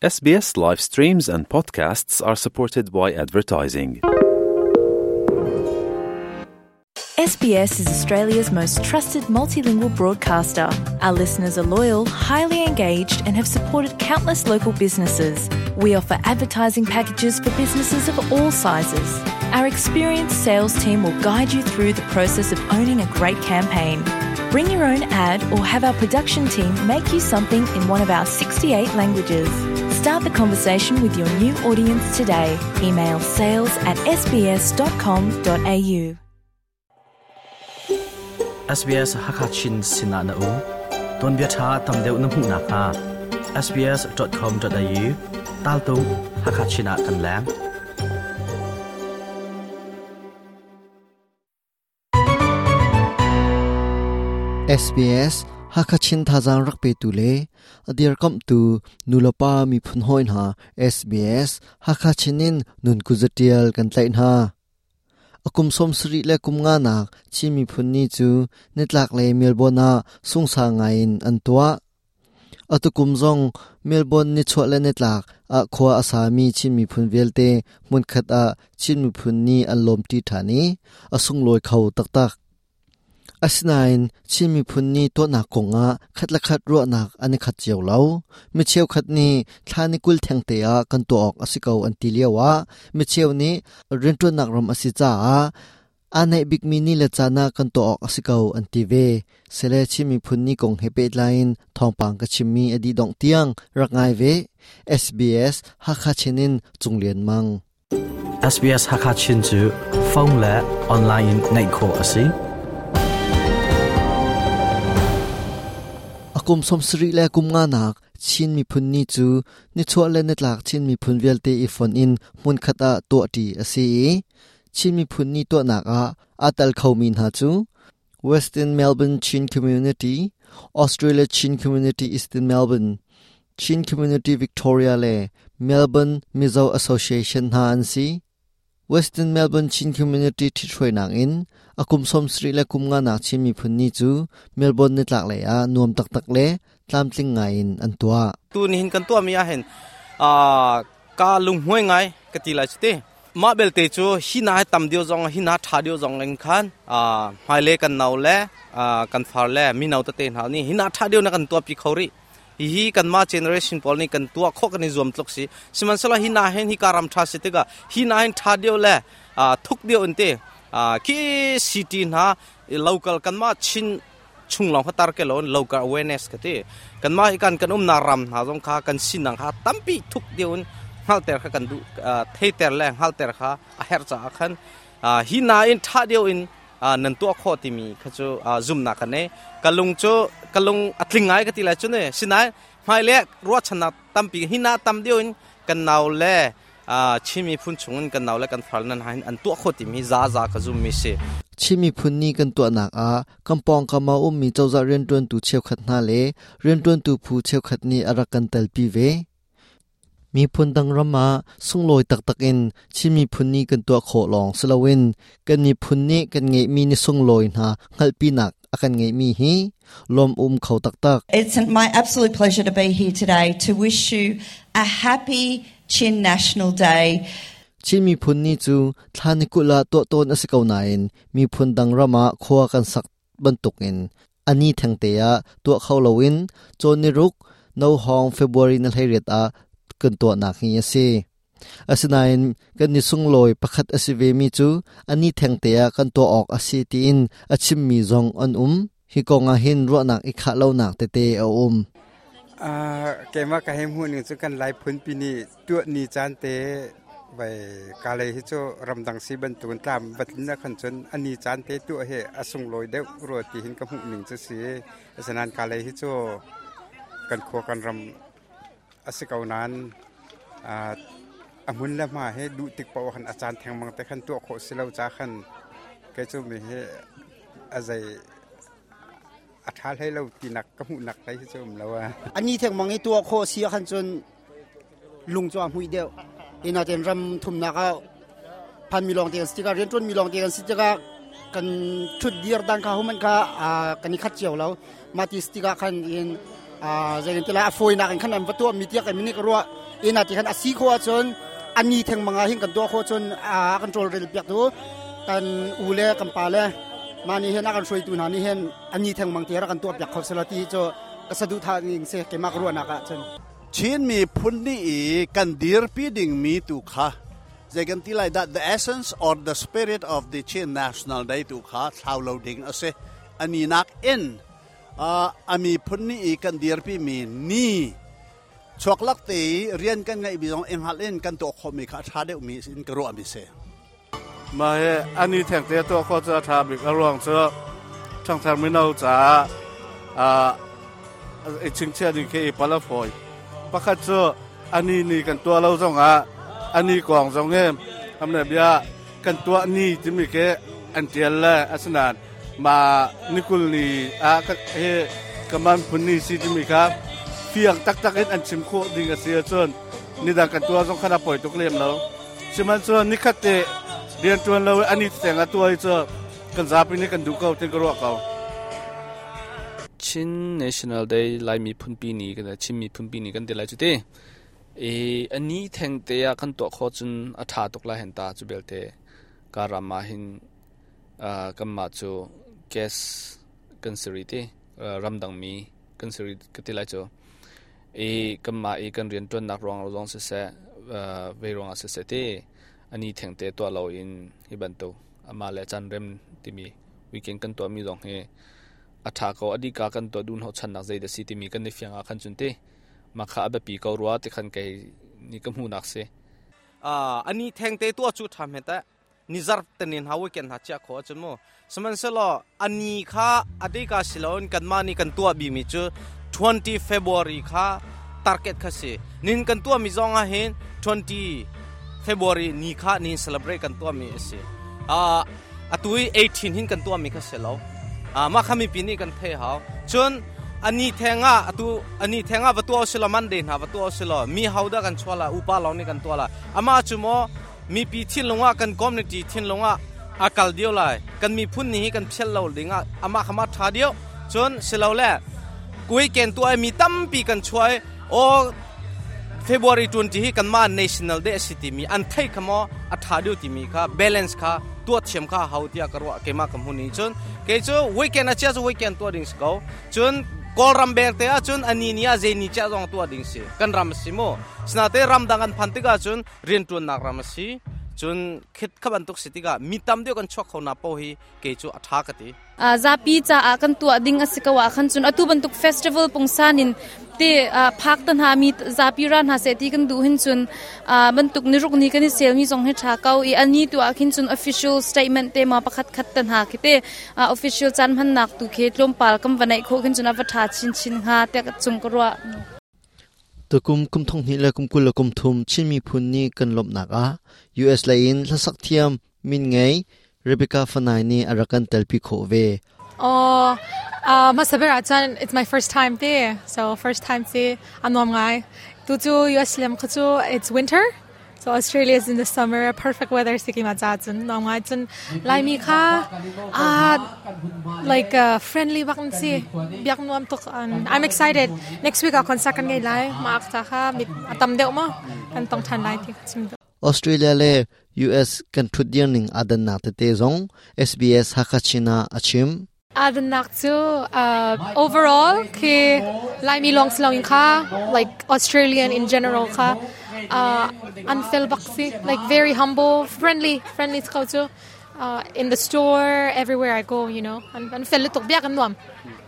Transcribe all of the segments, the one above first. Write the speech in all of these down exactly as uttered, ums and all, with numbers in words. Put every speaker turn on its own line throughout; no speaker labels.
S B S live streams and podcasts are supported by advertising.
S B S is Australia's most trusted multilingual broadcaster. Our listeners are loyal, highly engaged and have supported countless local businesses. We offer advertising packages for businesses of all sizes. Our experienced sales team will guide you through the process of owning a great campaign. Bring your own ad or have our production team make you something in one of our sixty-eight languages. Start the conversation with your new audience today. Email sales at s b s dot com dot a u.
S B S Hakachin Sinana U Ton bia tha tam deuh na hmu nak ha S B S dot com dot a u tal tu Hakachina kan lang
S B S Hakachin thazang rak pe tu le adir kam tu nulapa mi phun hoin ha S B S Hakachinin nun kuzatial kan tlai na akum som sri le kum nga nak chi mi phun ni chu nitlak le Melbourne a sungsa ngain an tua atukum zong Melbourne ni chwa le nitlak a khwa asami chi mi phun velte mun khat a chi mi phun ni an lom ti thani asung loi khau tak tak asinain chi mi phun ni to na konga khatla khat ro nak ani khat chiaw lo mi cheu khat ni thlani kul thengte a kan to ok asikau an ti liawa mi cheu ni rintu nak ram asi cha a anai big mi ni le chana kan to ok asikau an ti ve sele chi mi phun ni kong hepe line thongpang ka chimmi adi dong tiang rangai ve S B S Hakachinin chunglian mang
S B S Hakachin chu phone la online ngai kho asi
akum somsri le kum nga nak chin mi phun ni chu ni chwa le netlak chin mi phun velte i phone in mun khata to ti ase chin mi phun ni to nak a atal khomin ha chu Western Melbourne Chin Community Australia Chin Community Eastern Melbourne Chin Community Victoria le Melbourne Mizo Association ha an si Western Melbourne Chin Community thi throi nang in akum somsri le kum nga nak chin mi phun ni chu Melbourne ni tlak le a nuam tak tak le tlam tling ngai in an tua
tu ni hin kan tua mi a hen a ka lung hoi ngai ka ti lai chite ma bel te chu hi na tam dio zong hi na tha dio zong leng khan a hmai le kan nau le a kan phar le mi nau ta te na ni hi na tha dio na kan tua pi khori hi hi kan ma generation pol ni kan tua kho kan ni zuam tlok si siman sala hi na hen hi karam tha si te ga hi na hen tha dio le a thuk dio ante a ki city na local kan ma chin chung long khatar ke lon local awareness ka te kan ma ikan kan um na ram na jong kha kan sin nang kha tampi thuk dio hal ter kha kan du thei ter le hal ter kha a her cha khan hi na in tha dio in nan tua kho ti mi kha chu zoom na kan ne kalung chu kalung atling ngai ka ti la chu ne sinai mai le ro chana tampi hi na tam dio in kan nau le chimi phun chungin kan nau le kan phal nan hain an tua kho ti mi za za ka zoom mi se
chimi phun ni kan tua nak a kampong kama um mi chawza rian tuan tu cheu khat na le rian tuan tu phu cheu khat ni arakan tal pi ve mi phun dang rama sungloi tak tak in chimi phun ni kan tua kho long slowin kan mi phun ni kan nge mi ni sungloi na ngal pi nak akan nge mi hi lom um khau tak tak
It's my absolute pleasure to be here today to wish you a happy Chin National Day.
Chimi phun ni chu thlani kula to ton asikau na in mi phun dang rama khwa kan sak bantuk in ani thangte ya to khawlowin choni ruk no hong February na hlairet a kan to nak hi ase asinain kan ni sungloi pakhat asive mi chu ani thangte ya kan to ok asi ti in achim mi zong an um hi konga hin ro nak i kha lo nak te te a um
อ่าเกมาka hem hu ni chu kan lai phun pi ni tu ni chan te bai ka le hi chu ramdang si ban tun tlam batlin na khan chun ani chan te tu he asung loi deuh ro ti hin ka hu ning chu si asanan ka le hi chu kan kho kan ram asikau nan a amun la ma he du tik paw khan achan theng mang te khan tu kho silo cha khan ke chu mi he azai a tha hlei lo ti nak ka hu nak lai chu um lo a
ani theng mang i tua kho sia khan chun lung chwa hui deuh ina ten ram thum na ka phan mi long te stika ren ton mi long te stika kan thut dir dan kha human kha kan ni khat chiaw lo ma ti stika khan in a zeng te la foi na kan khan an va tua mi tia ka mi ni ka ro Ina ti khan asi kho chon ani theng manga hin kan do kho chon a kan trol rel piak tu kan u le kan pa le mani hen akan shroi tu na ni hen ani theng mang te ra kan to piak kho selati cho kasadu tha ning se ke mak ruana ka chon
Chin mi phun ni i kan dir pi ding mi tu kha zegan ti lai that the essence or the spirit of the Chin National Day tu kha thlau lo ding ase ani nak in a ami phun ni i kan dir pi mi ni chuak lak te rian kan ngai bi jong eng hal in kan to kho mi kha tha deuh mi in ka ro ami se
ma he ani theng te to kho cha tha bi ka ruang cha thang thang mi no cha a e ching che ding ke pala foi pakhat chu ani ni kan tua lo zong a ani kong zong em amne bia kan tua ni ti mi ke an tial la asnan ma nikul ni a ka he kaman phun ni si ti mi kha fiang tak tak in an chim kho ding a sia chun ni dang kan tua zong khana poi tuk lem lo chiman chu ni khat te rian tuan lo ani teng a tua chu kan zapi ni kan du ko tin ko ro ko
Chin National Day lai mi phun pi ni kan Chin mi phun pi ni kan te lai chu te e ani theng te ya kan to kho chun a tha tok la hen ta chu belte ka rama hin a kamma chu gas kan seri te ramdang mi kan seri ka te lai chu e kamma e kan rian ton nak rong rong se se ve rong se se te ani theng te to lo in hi ban to ama le chan rem ti mi weekend kan to mi dong he atha ko adi ka kan to dun ho chan nak zai da si ti mi kan ni fianga khan chun te ma kha abe pi ko ruwa te khan kai ni kam hu nak se
a ani theng te to chu tham heta nizar tenin hawe ken ha cha kho chun mo saman selo ani kha adi ka silon kan ma ni kan tua bi mi chu twenty February kha target kha se nin kan tua mi zonga hin twenty February ni kha ni celebrate kan tua mi se a atui eighteen hin kan tua mi kha se lo a ma khami pi ni kan the haw chun ani thenga atu ani thenga wa tua silo Monday na wa tua silo mi hauda kan chwala upa lo ni kan tua la ama chumo mi pi thin longa kan community thin longa akal dio lai kan mi phun ni kan phel lo dinga ama khama tha dio chun silo le kui ken tua mi tam pi kan chuai o February twenty hi kan ma National Day city mi an thai khamo atha dio ti mi kha balance kha tua thiam kha hautia karwa kema kam huni chun ke chu weekend a cha chu weekend tua ding sko chun kol ram bek te a chun ani nia je ni cha jong tua ding si kan ram si mo sna te ram dang an phantika chun rian tun nak ram si chun khit khaban tuk sitika mi tam deu kan chok khona po hi ke chu atha ka ti
a zapi cha a kan tua ding asikawa khan chun atu ban tuk festival pungsanin te phak tan ha mi zapi ran ha se ti kan du hin chun ban tuk ni ruk ni kan sel mi jong he tha kau i ani tu a khin chun official statement te ma pakhat khat tan ha ki te official chan man nak tu khe tlom pal kam vanai kho khin chun a tha chin chin ha te chung korwa
tukum kum thong ni la kum kul kum thum chin mi phun ni kan lop nak a U S lain hlasak thiam min ngai Rebecca Fanai ni arakan telpi kho ve.
Oh, uh, masabira chan it's my first time there. So first time see anom ngai. Tu chu U S lem khachu it's winter. So Australia is in the summer, perfect weather sikima cha chun nom ngai chun lai mi kha ah like uh, friendly bak si biak nuam tok. I'm excited. Next week a concert kan ngai lai ma akta kha mit atam deuh ma kan tong than lai ti chim.
Australia le U S kan thudian ning adan na te te zong S B S Hakachina achim
adan nak chu overall ke lai mi long slong kha like Australian in general kha uh unfil baksi like very humble friendly friendly culture uh in the store everywhere I go you know and unfil tok biak an nuam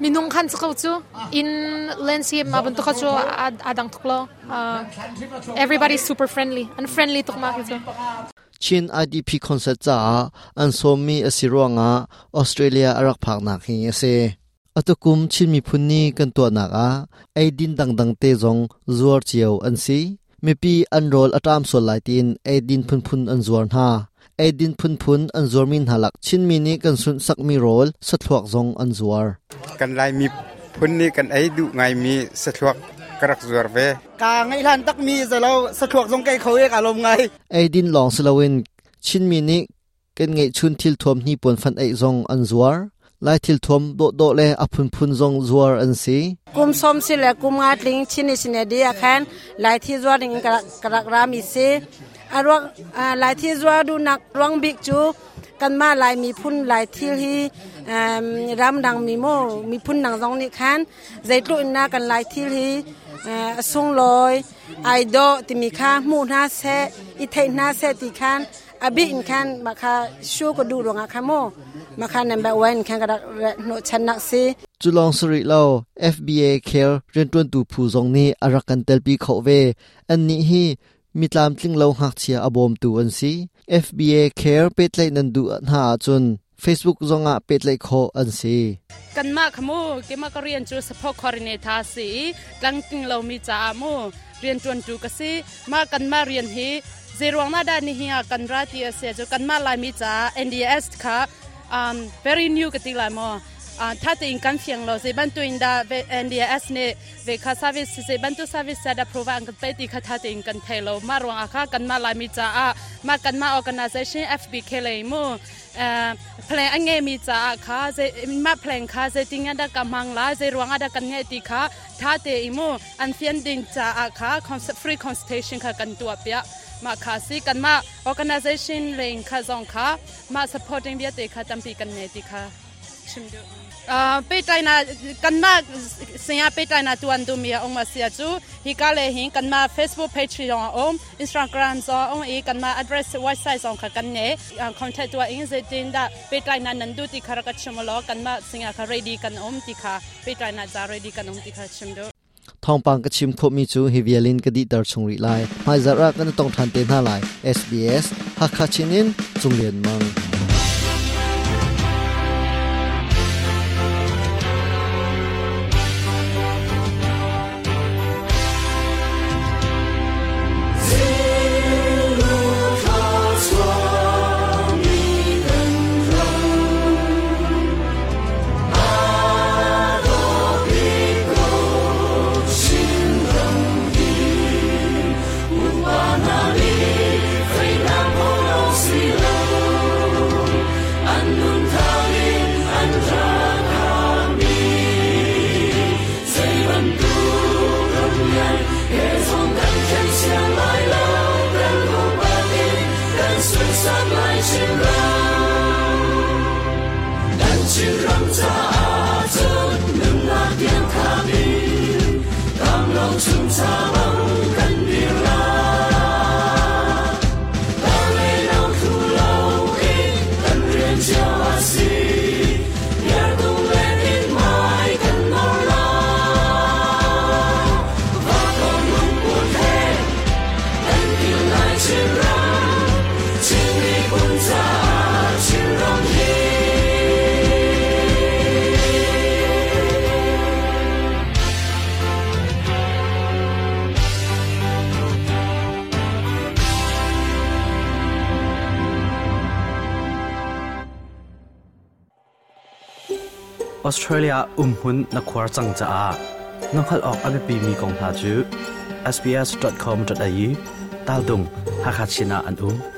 minung khan chu chu in landscape ma ban to chu adang thuklo uh everybody's super friendly and friendly tok ma chu
Chin I D P concert cha an somi asironga Australia arak phak nak hi ase atukum chin mi phunni kan to nak a aidin dang dang te zong zuar chiao an si mi pi an rol atam sol lai tin aidin phun phun an zuar na aidin phun phun an zuar min halak chin mi ni kan sun sak mi rol sathluak zong an zuar
kan lai mi phun ni kan ai du ngai mi sathluak karak zuar ve
ka ngai lan tak mi zalo sathluak zong kai khoi ka lom ngai
aidin long slowin chin mi ni kan ngai chun thil thom ni pon fan ai zong an zuar Lai thil thom do do le a phun phun zong zuar an si.
Kum som si le kum nga tling Chin National Day khan lai thi zuar ding karak rami si arwak lai thi zuar du nak ruang bik chu kan ma lai mi phun lai thil hi ram dang mi mo mi phun nang zong ni khan zaitlu in na kan lai thil hi sung loi ai do ti mi kha mu na se i thei na se ti khan abi in khan ma kha shu ko du ronga kha mo ma kha number one khan ka no chan nak si.
Chulong suri lo F B A care rentun tu phu zong ni arakan telpi kho ve an ni hi mitlam tling lo hak chia abom tu an si. F B A care petlai nan du na chun Facebook zonga petlai kho an si.
Kan ma khamu ke ma ka rian chu support coordinator si tlang ting lo mi cha mu rian tuan tu ka si ma kan ma rian hi zerwang na da ni hi kan ra ti ase chu kan ma lai mi cha N D S kha um very new ka ti lai mo tha te in kan fiang lo se ban tu in da N D S ne ve kha service se ban tu service da provide an pe ti kha tha te in kan thelo ma rong akha kan ma lai mi cha a ma kan ma organization F B K le mo plan an nge mi cha kha se ma plan kha se ting da ka mang la se rong ada kan nge ti kha tha te i mo an fian ding cha kha free consultation kha kan tu apya ma kha si kan ma organization leng kha zong kha ma supporting bia te kha tampi kan ne ti kha chimdu pe tai na kan ma sia pe tai na tuan du mi ong ma sia chu hi ka le hin kan ma Facebook page yong om Instagram zo ong e kan ma address website zong kha kan ne contact tu in ze tin da pe tai na nan du ti khara ka chimlo kan ma sia kha ready kan om ti kha pe tai na za ready kan om ti kha chimdu.
Thong pang ka chim kho mi chu hi vialin ka di tar chung ri lai mai zara kan tong than te na lai S B S Hakha chinin chunglian mang.
Australia umhun na khwar chang cha a nonghal ok abe mi kong hna chu s b s dot com dot a u tal dung Hakachina an um.